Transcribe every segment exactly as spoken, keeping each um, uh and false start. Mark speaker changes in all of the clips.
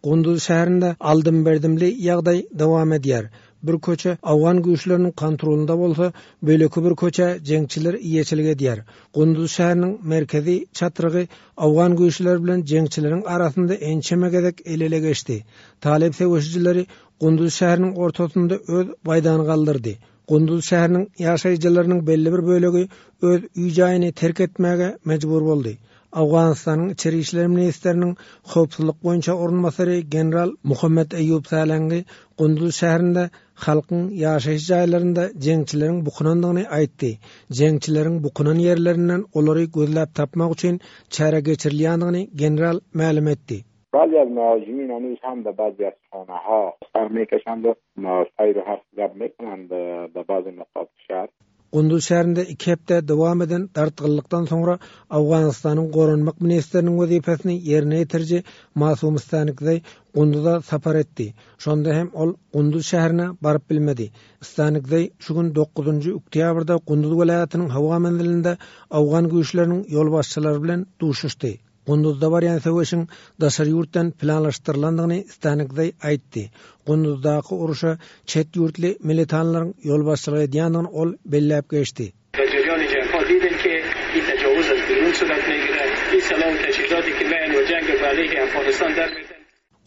Speaker 1: Gunduz şäherinde aldym-berdimli ýagdaý dowam edýär. Bir köçe owgan güýçleriniň kontrolynda bolsa, beýleki bir köçä jeňçiler eýeçilik edýär. Gunduz şäheriniň merkezi çatrygy owgan güýçleri bilen jeňçileriň arasynda ençeme gezek el-ele geçdi. Talyp söweşijileri Gunduz şäheriniň ortasynda öz baýdagyny galdyrdy. Gunduz şäheriniň ýaşaýjylarynyň belli bir bölegi öz öý-jaýyny terk etmäge mejbur boldy. Owganystanyň Içeri işler ministriniň howpsuzlyk boýunça orunbasary general Muhammet Eýýub Salangi Gunduz şäherinde halkyň ýaşaýyş jaýlarynda jeňçileriň bukunandygyny aýtdy. Jeňçileriň bukunan ýerlerinden olary gözläp tapmak üçin çäre geçirilýändigini general mälim etdi.
Speaker 2: بعضی از مهاجمین هنوز هم به بعضی از خانه ها سر میکشند و مهاجرهایی رو حرف میکنند به بعضی نقاط شهر.
Speaker 1: Gunduz şäherinde iki hepde dowam eden dartgynlykdan soňra Owganystanyň Goranmak ministriniň wezipesini ýerine ýetiriji Masum Stanikzeý Gunduza sapar etdi. Şonda hem ol Gunduz şäherine baryp bilmedi. Stanikzeý şu gün dokuzynjy oktýabrda Gunduz welaýatynyň howa menzilinde owgan güýçleriniň ýolbaşçylary bilen duşuşdy. Gunduzda barýan söweşiň daşary ýurtdan planlaşdyrylandygyny Stanikzeý aýtdy. Gunduzdaky uruşa çet ýurtly militanlaryň ýolbaşçylyk edýändigini ol belläp geçdi.
Speaker 3: در جریان جنگ ها دیدیم که این تجاوز از بیرون صورت میگیره. این سلاح و تجهیزاتی که میان و جنگ به علیه افغانستان در میدن.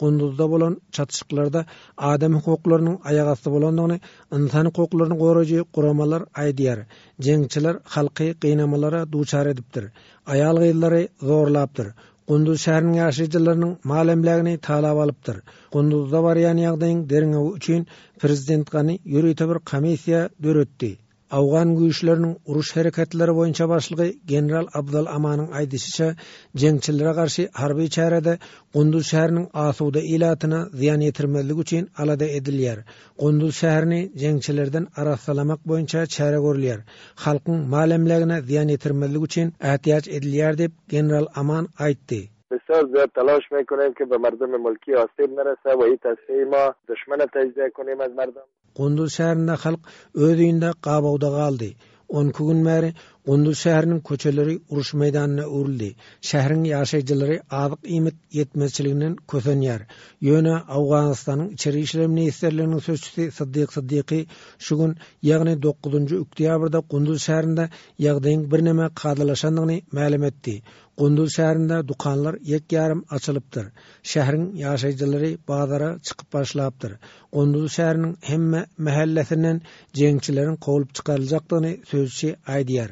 Speaker 1: Gunduzda bolan çatyşyklarda adam hukuklarynyň aýak asty bolandygyny ynsan hukuklaryny goraýjy guramalar aýdýar. Jeňçiler halky gynamalara duçar edipdir. Aýal gyzlary zorlapdyr. Gunduz şäheriniň ýaşaýjylarynyň mal emlägini talap alypdyr. Gunduzda barýan ýagdaýyň derňewi üçin prezident Gani ýörite bir komissiýa döretdi. Owgan güýçleriniň uruş hereketleri boýunça başlygy general Abdal Amanyň aýdyşyça, jeňçilere garşy harby çärede Gunduz şäheriniň asuda ilatyna zyýan ýetirmezlik üçin alada edilýär. Gunduz şäherini jeňçilerden arassalamak boýunça çäre görülýär. Halkyň mal emlägine zyýan ýetirmezlik üçin ätiýaç edilýär diýip general Aman aýtdy.
Speaker 4: بسیار زیاد تلاش میکنیم که به مردم ملکی آسیب نرسه و این تصفیه ما دشمن تجزیه کنیم از مردم.
Speaker 1: Gunduz şäherinde halk öz öýünde gabawda galdy. On iki gün bäri Gunduz şäheriniň köçeleri uruş meýdanyna öwrüldi. Şäheriň ýaşaýjylary azyk iýmit ýetmezçiliginden kösenýär. Ýöne Owganystanyň Içeri işler ministrliginiň sözçüsi Siddiq Siddiqi şu gün, ýagny dokuzynjy oktýabrda Gunduz şäherinde ýagdaýyň birneme kadalaşandygyny mälim etdi. Gunduz şäherinde dükanlar ýek ýarym açylypdyr. Şäheriň ýaşaýjylary bazara çykyp başlapdyr. Gunduz şäheriniň hemme mahallesinden jeňçileriň kowulyp çykaryljakdygyny sözçi aýdýar.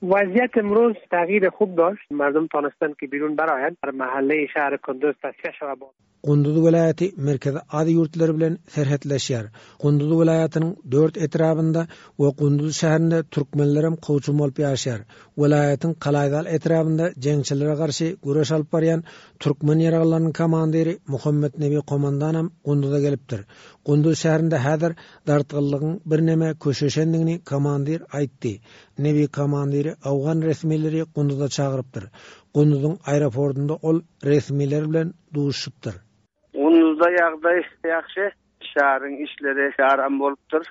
Speaker 3: وضعیت امروز تغییر خوب داشت. مردم تانستند که بیرون برآیند. در محله شهر کندوز تصفیه شود.
Speaker 1: Gunduz welaýaty Merkezi Aziýa ýurtlary bilen serhetleşýär. Gunduz welaýatynyň dört etrabynda we Gunduz şäherinde türkmenlerem kowçum bolup ýaşaýar. Welaýatyň Kalaýzal etrabynda jeňçilere garşy güreş alyp barýan türkmen ýaraglarynyň komandiri Muhammet Nebi komandanam Gunduza gelipdir. Gunduz şäherinde häzir dartgynlygyň birneme köşeşendigini komandir aýtdy. Nebi komandiri owgan resmileri Gunduza çagyrypdyr. Gunduzyň aeroportunda ol resmiler bilen duşupdyr.
Speaker 5: Gunduzda ýagdaý ýagşy, şäheriň işleri aram bolupdyr.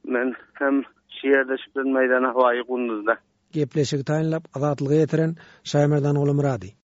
Speaker 5: Men hem şu ýerde şübhen meýdana hawaýy Gunduzda.
Speaker 1: Gepleşigi taýynlap Azatlyga ýetiren Şaýmerdan Gulumyrady.